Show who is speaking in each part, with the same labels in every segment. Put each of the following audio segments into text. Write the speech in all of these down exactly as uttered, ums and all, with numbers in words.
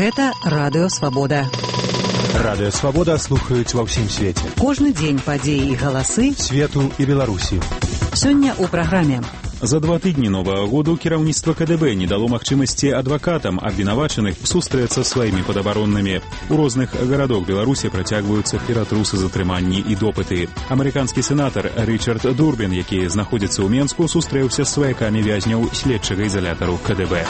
Speaker 1: Гэта Радыё Свабода.
Speaker 2: Радыё Свабода слухаюць ва ўсім свеце.
Speaker 1: Кожны дзень падзеі і галасы
Speaker 2: свету і Беларусі.
Speaker 1: Сёння ў праграме.
Speaker 3: За два тыдні новага году кіраўніцтва КДБ не дало магчымасці адвакатам абвінавачаных сустрэцца з сваімі падабароннымі. У розных гарадах Беларусі працягваюцца ператрусы затрыманні і допыты. Амерыканскі сенатар Ричард Дурбін, які знаходзіцца ў Менску, сустрэўся з сваякамі вязняў следчага ізалятару КДБ.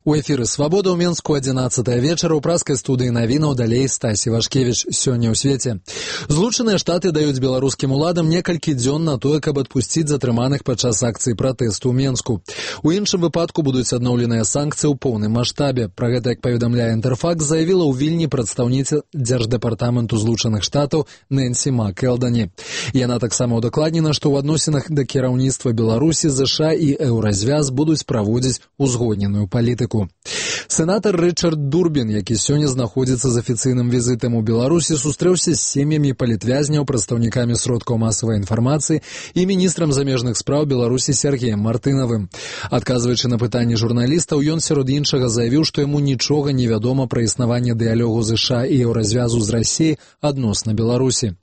Speaker 4: У эфіры «Свабода» ў Менску адзінаццатая вечара ў праскай студыі навінаў далей Стасі Вашкевіч. Сёння ў свеце. Злучаныя Штаты даюць беларускім уладам некалькі дзён на тое, каб адпусціць затрыманых падчас акцыі пратэсту ў Менску. У іншым выпадку будуць адноўленыя санкцыі ў поўным маштабе. Пра гэта, як паведамляе Інтэрфакс, заявіла ў Вільні прадстаўніца Дзярждэпартаменту Злучаных Штатаў Нэнсі МакЭлдані. Яна таксама ўдакладнена, што ў адносінах да кіраўніцтва Беларусі, ЗША і Еўразвяз будуць праводзіць узгодненую палітыку. Сенатар Ричард Дурбін, які сёння знаходзіцца з афіцыйным візітам у Беларусі, сустрэўся з сем'ямі палітвязняў, прадстаўнікамі сродкаў масавай інфармацыі і міністрам замежных спраў Беларусі Сергеем Мартынавым. Адказваючы на пытанні журналістаў, ён сярод іншага заявіў, што яму нічога не вядома пра існаванне дыялогу ЗША і Еўразвязу з Расіяй адносна Беларусі.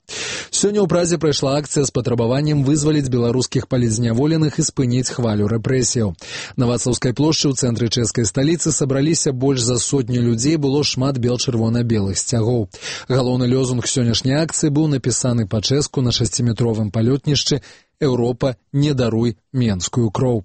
Speaker 4: Сёння ў Празе прайшла акцыя з патрабаваннем вызваліць беларускіх палітзняволеных і спыніць хвалю рэпрэсіяў. На Вацлаўскай плошчы ў цэнтры чэшскай сталіцы сабраліся больш за сотню людзей, было шмат бел-чырвона-белых сцягоў. Галоўны лёзунг сённяшняй акцыі быў напісаны па-чэшску на шасціметровым палётнішчы «Еўропа, не даруй менскую кроў».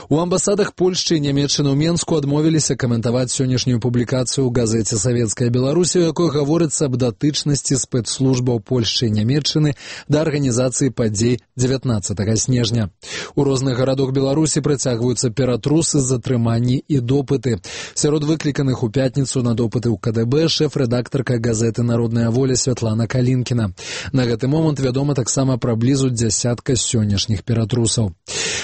Speaker 4: У амбасадах Польшчы і Нямецчыны ў Менску адмовіліся каментаваць сённяшнюю публікацыю ў газеце «Савецкая Беларусь», у якой гаворыцца аб датычнасці спецслужбаў Польшчы і Нямецчыны да арганізацыі падзей дзевятнаццатага снежня. У розных гарадах Беларусі працягваюцца ператрусы, затрыманні і допыты. Сярод выкліканых у пятніцу на допыты ў КДБ шэф-рэдактарка газеты «Народная воля» Святлана Калінкіна. На гэты момант вядома таксама пра блізу дзясятка сённяшніх ператрусаў.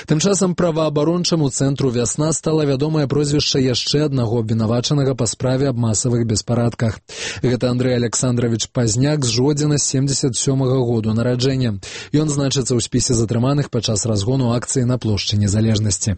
Speaker 4: Тым часам праваабарончаму цэнтру «Вясна» стала вядомае прозвішча яшчэ аднаго абвінавачанага па справе аб масавых беспарадках. Гэта Андрэй Александрович Пазняк з Жодзіна семдзесят сёмага году нараджэння. Ён значыцца ў спісе затрыманых падчас разгону акцыі на плошчы Незалежнасці.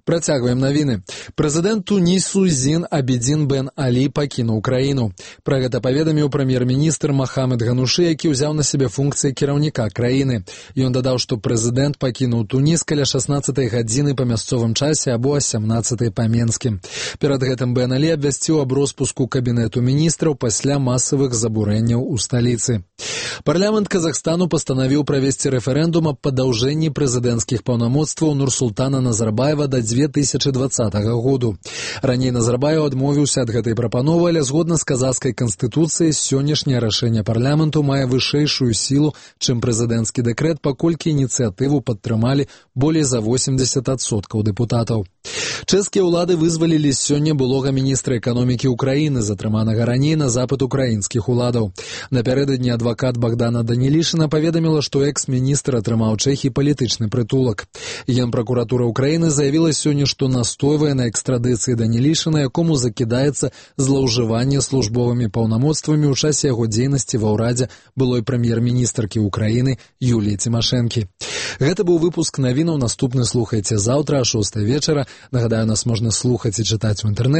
Speaker 4: Працягваем навіны. Прэзідэнт Тунісу Зін Абідзін Бен Алі пакінуў краіну. Пра гэта паведаміў прэм'ер-міністр Махамед Ганушы, які ўзяў на сябе функцыі кіраўніка краіны. Ён дадаў, што прэзідэнт пакінуў Туніс каля шаснаццатай гадзіны па мясцовым часе або а сямнаццатай па менскім. Перад гэтым Бен Алі абвясціў аб роспуску кабінету міністраў пасля масавых забурэнняў у сталіцы. Парламент Казахстану пастанавіў правесці рэферэндум аб падаўжэнні прэзідэнцкіх паўнамоцтваў Нурсултана Назарбаева да дзве тысячы дваццатага году. Раней Назарбаев адмовіўся ад гэтай прапановы, але згодна з казахскай канстытуцыяй сённяшняе рашэнне парламенту мае вышэйшую сілу, чым прэзідэнцкі дэкрэт, паколькі ініцыятыву падтрымалі болей за восемьдесят адсоткаў дэпутатаў. Чэшскія ўлады вызвалілі сёння былога міністра эканомікі ўкраіны, затрыманага раней на запыт украінскіх уладаў. Напярэдадні адвакат Богдана Данілішына паведаміла, што экс-міністр атрымаў Чэхі палітычны прытулак. Генпракуратура ўкраіны заявіла сёння, што настойвае на экстрадыцыі Данілішына, якому закідаецца злоўжыванне службовымі паўнамоцтвамі ў часе яго дзейнасці ва ўрадзе былой прэм'ер-міністркі ўкраіны Юліі Цімашэнкі. Гэта быў выпуск навінаў, наступны слухайце заўтра а шостай вечара. Нагадаю, нас можна слухаць і чытаць у інтэрнэце.